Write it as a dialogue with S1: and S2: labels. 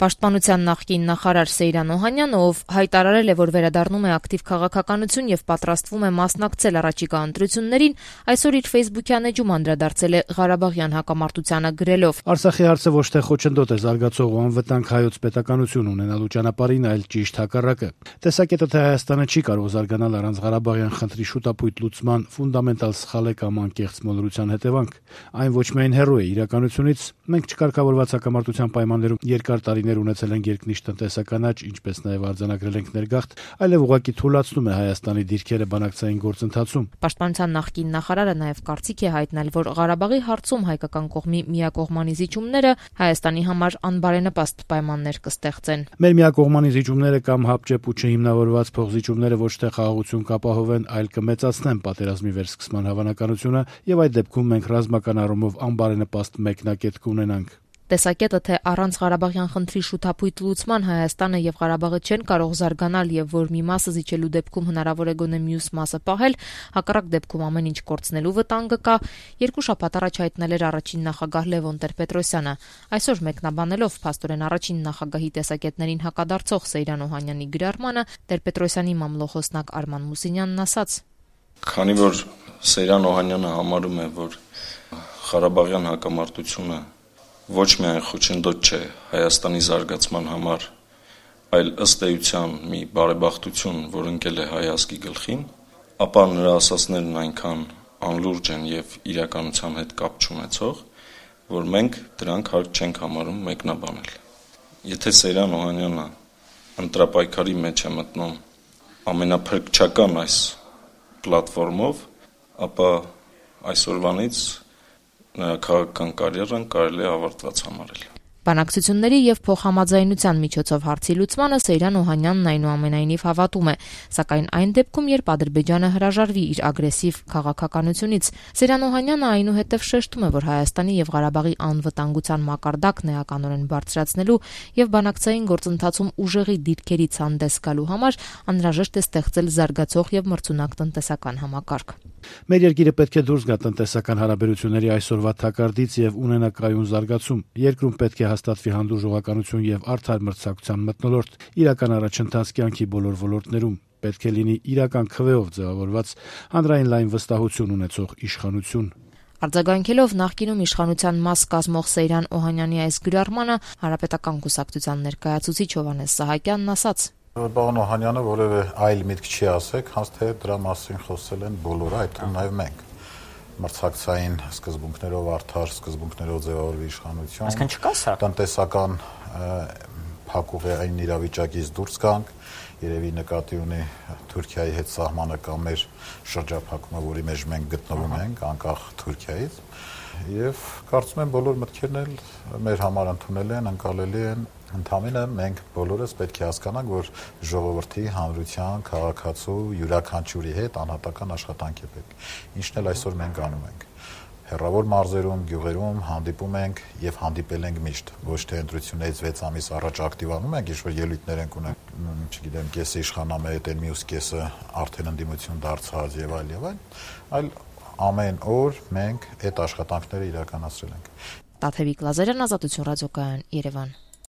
S1: Պաշտպանության նախկին նախարար Սեյրան Օհանյանը, ով հայտարարել է, որ վերադառնում է ակտիվ քաղաքականություն եւ պատրաստվում է մասնակցել առաջիկա ընտրություններին, այսօր իր ֆեյսբուքյան էջում անդրադարձել է Ղարաբաղյան հակամարտությանը գրելով.
S2: «Արցախի հարցը ոչ թե խոչընդոտ է զարգացող ու անվտանգ հայոց պետականություն ունենալու ճանապարհին, այլ ճիշտ հակառակը։ Տեսակետը, թե Հայաստանը չի կարող զարգանալ առանց Ղարաբաղյան խնդրի շուտապույտ լուծման, ֆունդամենտալ սխալ է կամ անկեղծ մոլորության հետևանք։ Այն ոչ միայն հեռու է իրականությունից, մենք չկարգավորված հակամարտության պայմաններում երկար տարիներ ունեցել ենք երկնիշ տնտեսական աճ, ինչպես նաև արձանագրել ենք ներգաղթ, այլև ուղղակի թուլացնում է Հայաստանի դիրքերը բանակցային գործընթացում»։
S1: Պաշտպանության նախկին նախարարը նաև կարծիք է հայտնել, որ Ղարաբաղի հարցում հայկական կողմի միակողմանի զիջումները Հայաստանի համար անբարենպաստ պայմաններ կստեղծեն։
S2: «Մեր միակողմանի զիջումները կամ հապճեպ ու չհիմնավորված փոխզիջումները ոչ թե խաղաղություն կապահովեն, այլ կմեծացնեն պատերազմի վերսկսման հավանականությունը, եւ այդ դեպքում մենք ռազմական առումով անբարենպաստ մեկնակետ կունենանք»։
S1: Տեսակետը, թե առանց Ղարաբաղյան խնդրի շուտապույտ լուծման Հայաստանը եւ Ղարաբաղը չեն կարող զարգանալ եւ որ մի մասը զիջելու դեպքում հնարավոր է գոնե մյուս մասը պահել, հակառակ դեպքում ամեն ինչ կորցնելու վտանգը կա, երկու շաբաթ առաջ հայտնել էր առաջին նախագահ Լևոն Տեր-Պետրոսյանը։ Այսօր մեկնաբանելով փաստորեն առաջին նախագահի տեսակետներին հակադարձող Սեյրան Օհանյանի գրառմանը, Տեր-Պետրոսյանի մամլոխոսնակ Արման Մուսինյանն ասաց.
S3: «Քանի որ Սեյրան Օհանյանը համարում է, որ Ղարաբաղյան հակամարտությունը ոչ միայն խոչընդոտ չէ Հայաստանի զարգացման համար, այլ ըստ էության մի բարեբախտություն, որ ընկել է հայ ազգի գլխին, ապա նրա ասածներն այնքան անլուրջ են եւ իրականության հետ կապ չունեցող, որ մենք դրանք հարկ չենք համարում մեկնաբանել։ Եթե Սեյրան Օհանյանը ընտրապայքարի մեջ է մտնում ամենափրկչական այս պլատֆորմով, ապա այսօրվանից նրա քաղաքական կարիերան կարելի է ավարտված համարել»։
S1: Բանակցությունների եւ փոխհամաձայնության միջոցով հարցի լուծմանը Սեյրան Օհանյանն այնուամենայնիվ հավատում է, սակայն այն դեպքում, երբ Ադրբեջանը հրաժարվի իր ագրեսիվ քաղաքականությունից։ Սեյրան Օհանյանը այնուհետև շեշտում է, որ Հայաստանի եւ Ղարաբաղի անվտանգության մակարդակն էականորեն բարձրացնելու եւ բանակցային գործընթացում ուժեղի դիրքերից հանդես գալու համար անհրաժեշտ է ստեղծել զարգացող եւ մրցունակ տնտեսական համակարգ։
S2: «Մեր երկիրը պետք է դուրս գա տնտեսական հարաբերությունների այսօրվա թակարդից եւ ունենա կայուն զարգացում։ Երկրում պետք է հաստատվի հանդուրժողականություն եւ արդար մրցակցության մթնոլորտ, իրական առաջընթաց կյանքի բոլոր ոլորտներում։ Պետք է լինի իրական քվեով ձևավորված հանրային լայն վստահություն ունեցող իշխանություն»։
S1: Արձագանքելով նախկինում իշխանության մաս կազմող Սեյրան Օհանյանի այս գրառմանը, Հանրապետական կուսակցության ներկայացուցիչ Հովհաննես Սահակյանն ասաց.
S4: Պարոն Օհանյանը որևէ այլ միտք չի ասեք, հենց թե դրա մասին խոսել են բոլորը, այդ նաև մենք։ Մրցակցային սկզբունքներով, արդար սկզբունքներով ձևավորվի իշխանություն։
S5: Այսինքն չկա սա։
S4: Տնտեսական փակուղային իրավիճակից դուրս գանք, երևի նկատի ունի Թուրքիայի հետ սահմանը կամ մեր շրջափակումը, որի մեջ մենք գտնվում ենք, անկախ Թուրքիայից, եւ կարծում եմ բոլոր մտքերն էլ մեր համար ընդունելի են, ընկալելի են։ Ընդամենը մենք բոլորս պետք է հասկանանք, որ ժողովրդի, հանրության, քաղաքացու յուրաքանչյուրի հետ անհատական աշխատանք է պետք։ Ինչն էլ այսօր մենք անում ենք։ Հեռավոր մարզերում, գյուղերում հանդիպում ենք եւ հանդիպել ենք միշտ։ Ոչ թե ընտրություններից 6 ամիս առաջ ակտիվանում ենք, ինչ որ ելույթներ ենք ունենում, չգիտեմ, կեսը իշխանամետ են, մյուս կեսը արդեն ընդդիմություն դարձած եւ այլ, ամեն օր մենք այդ աշխատանքները իրականացրել ենք։
S1: Տաթևիկ Լազարյան, Ազատություն ռադիոկայան, Երևան։